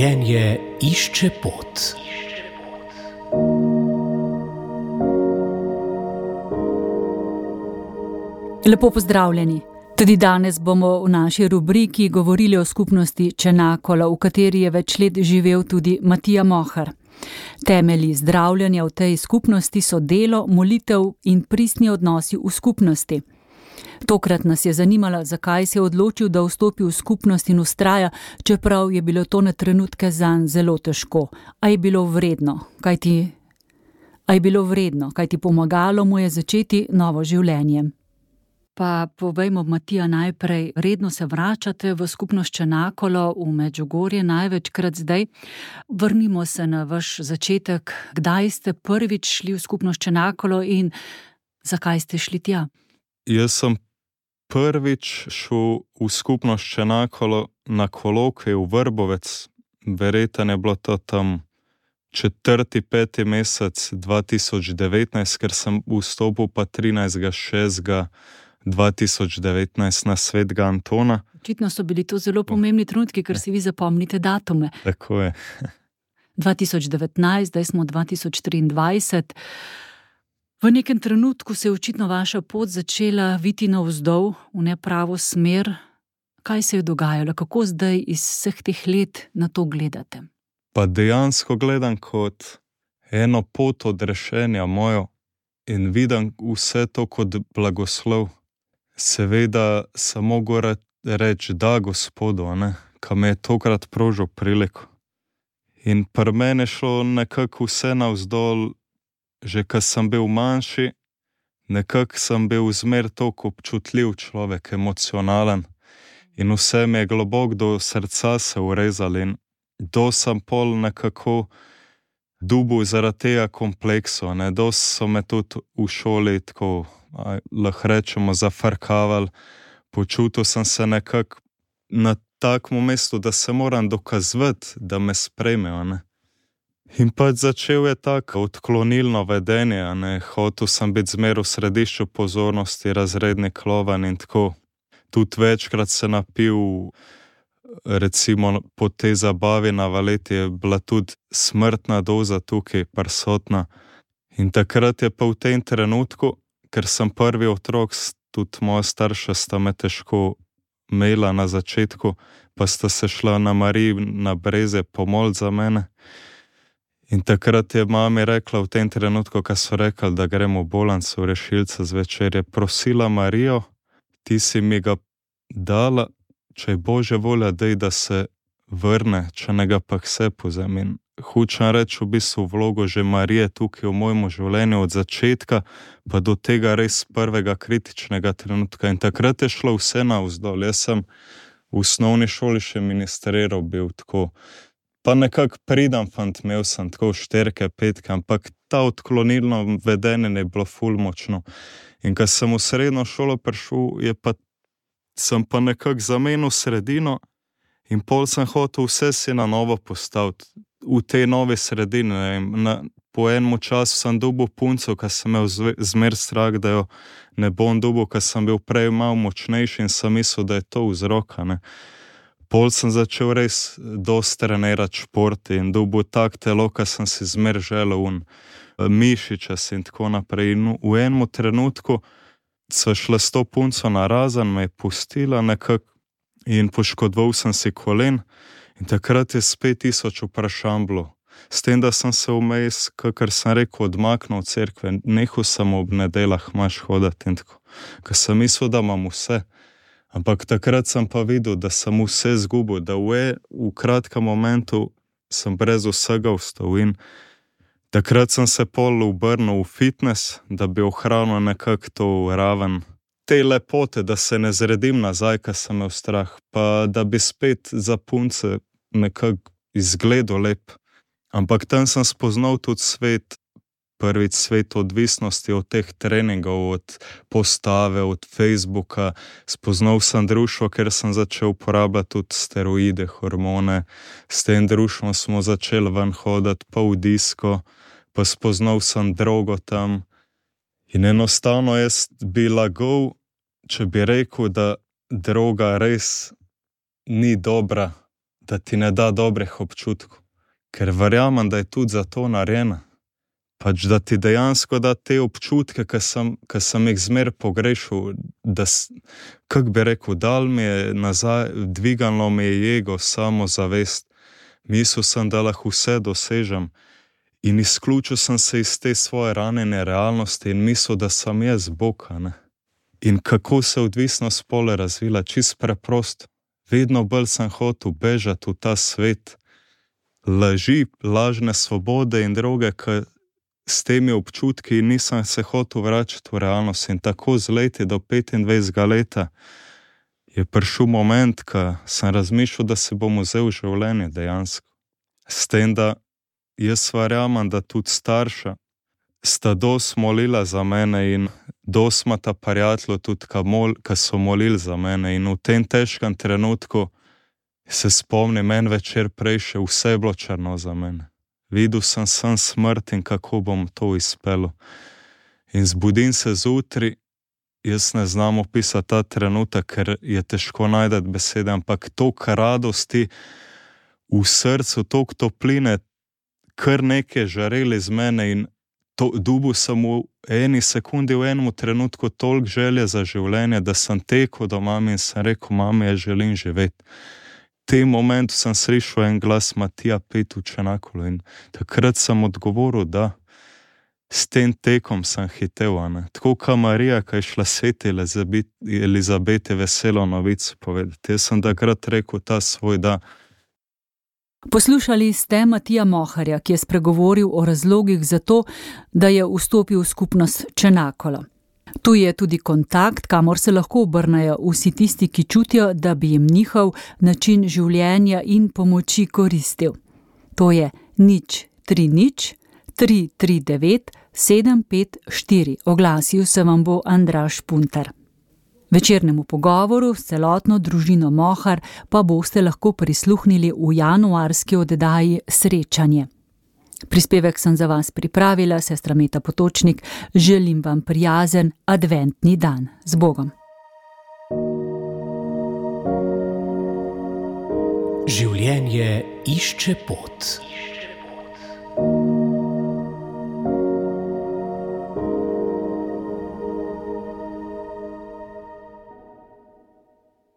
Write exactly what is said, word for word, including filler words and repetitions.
Življenje išče pot. Lepo pozdravljeni. Tudi danes bomo v naši rubriki govorili o skupnosti Čenakolo, v kateri je več let živel tudi Matija Mohar. Temelji zdravljenja v tej skupnosti so delo, molitev in pristni odnosi v skupnosti. Tokrat nas je zanimalo, zakaj se je odločil, da vstopi v skupnost in vztraja, čeprav je bilo to na trenutke zanj zelo težko. A je bilo vredno, kajti, a je bilo vredno, kajti pomagalo mu je začeti novo življenje. Pa povejmo, Matija, najprej, redno se vračate v skupnost Čenakolo v Medžugorje, največkrat zdaj. Vrnimo se na vaš začetek. Kdaj ste prvič šli v skupnost Čenakolo in zakaj ste šli tja? Jaz sem prvič šel v skupnost Čenakolo na kolokvij v Vrbovec. Verjetno je bilo to tam četrti, peti mesec dva tisoč devetnajst, ker sem vstopil pa trinajstega šestega dva tisoč devetnajst na svetega Antona. Očitno so bili to zelo pomembni trenutki, ker si vi zapomnite datume. Tako je. dva tisoč devetnajst, zdaj smo dva tisoč triindvajset. V nekem trenutku se je očitno vaša pot začela viti navzdol, v nepravo smer. Kaj se je dogajalo? Kako zdaj iz vseh teh let na to gledate? Pa dejansko gledam kot eno pot odrešenja mojo in vidim vse to kot blagoslov. Seveda samo gore reči da Gospodu, ne, ka me je tokrat prožil priliko. In pri meni šlo nekako vse navzdol, že ko sem bil manjši, nekako sem bil zmer toliko občutljiv človek, emocionalen. In vse mi je globoko do srca se urezal in do sem pol nekako dubu zaradi tega kompleksu. Ne, do so me tudi v šoli tako, lahko rečemo, zafrkavali. Počutil sem se nekako na takem mestu, da se moram dokazovati, da me sprejmejo, ne. In pač začel je tako odklonilno vedenje, ne. Hotel sem biti zmer v središču pozornosti, razredni klovan in tako. Tudi večkrat se napil, recimo po tej zabavi na valeti je bila tudi smrtna doza tukaj prisotna. In takrat je pa v tem trenutku, ker sem prvi otrok, tudi moja starša sta me težko imela na začetku, pa sta se šla na Mariji na Breze pomoliti za mene. In takrat je mami rekla v tem trenutku, ko so rekli, da gremo v bolnico rešilca zvečer, je prosila Marijo, ti si mi ga dala, če je Božja volja, dej, da se vrne, če ne ga pa k sebi vzem. In hočem reči v bistvu vlogo že Marije tukaj v mojem življenju od začetka, pa do tega res prvega kritičnega trenutka. In takrat je šlo vse navzdol. Jaz sem v osnovni šoli še ministriral bil tako. Pa nekako pridem fant, imel sem tako šterke, petke, ampak ta odklonilno vedenje je bilo ful močno. In ko sem v srednjo šolo prišel, je pa, sem pa nekako zamenil sredino in pol sem hotel vse si na novo postaviti. V tej novi sredini, ne vem, na, po enem času sem dobil punco, ko sem imel zmer strah, da jo ne bom dobil, ko sem bil prej malo močnejši in sem mislil, da je to vzroka, ne. Pol sem začel res dosti trenirati šport in dobil tak telo, ko sem si zmer želel un mišičas in tako naprej. In v enem trenutku so šla s to punco na razen, me je pustila nekako in poškodoval sem si kolen in takrat je spet tisoč vprašanj bilo. S tem, da sem se vmes, kakor sem rekel, odmaknil od cerkve, nehal sem ob nedeljah maš hoditi in tako. Ko sem mislil, da imam vse. Ampak takrat sem pa videl, da sem vse zgubil, da v, v kratkem momentu sem brez vsega vstal in takrat sem se pol obrnil v fitness, da bi ohranil nekako to raven te lepote, da se ne zredim nazaj, ko sem imel strah, pa da bi spet za punce nekako izgledal lep. Ampak tam sem spoznal tudi svet, prvič svet odvisnosti od teh treningov, od postave, od Facebooka. Spoznal sem društvo, ker sem začel uporabljati tudi steroide, hormone. S tem društvom smo začeli ven hoditi, pa v disko, pa spoznal sem drogo tam. In enostavno jaz bi lagal, če bi rekel, da droga res ni dobra da ti ne da dobrih občutkov, ker verjamem, da je tudi za to narejena. Pač da ti dejansko da te občutke, ki sem, ki sem jih zmer pogrešal, da, kak bi rekel, dal mi je nazaj, dvigalo mi je jego, samozavest. Mislil sem, da lahko vse dosežem in izključil sem se iz te svoje ranjene realnosti in mislil, da sem jaz Bog, ne. In kako se odvisnost pole razvila, čist preprosto. Vedno bolj sem hotel bežati v ta svet laži, lažne svobode in droge, ki s temi občutki nisem se hotel vračati v realnost. In tako z leti do petindvajsetega leta je prišel moment, ko sem razmišljal, da se bom vzel življenje dejansko. S tem, da jaz verjamem, da tudi starša sta dosti molila za mene in dosti ima ta prijatelj tudi, ki mol, so molili za mene. In v tem težkem trenutku se spomnim, en večer prej še vse je bilo črno za mene. Videl sem sem smrt in kako bom to izpeljal. In zbudim se zjutraj, jaz ne znam opisati ta trenutek, ker je težko najti besede, ampak toliko radosti v srcu, toliko topline, kar nekaj žareli z mene in to, dobil sem v eni sekundi, v enem trenutku toliko želje za življenje, da sem tekel do mami in sem rekel, mami, jaz želim živeti. V tem momentu sem slišal en glas Matija pet v Čenakolu in takrat sem odgovoril, da s tem tekom sem hitel, ne. Tako kot Marija, ki je šla sveti Elizabeti veselo novico povedati. Jaz sem takrat rekel ta svoj da. Poslušali ste Matija Moharja, ki je spregovoril o razlogih za to, da je vstopil v skupnost Čenakolo. Tu je tudi kontakt, kamor se lahko obrnejo vsi tisti, ki čutijo, da bi jim njihov način življenja in pomoči koristil. To je nič tri nič tri tri devet sedem pet štiri. Oglasil se vam bo Andraž Puntar. Večernemu pogovoru s celotno družino Mohar pa boste lahko prisluhnili v januarski oddaji Srečanje. Prispevek sem za vas pripravila, sestra Meta Potočnik. Želim vam prijazen adventni dan. Z Bogom. Življenje išče pot.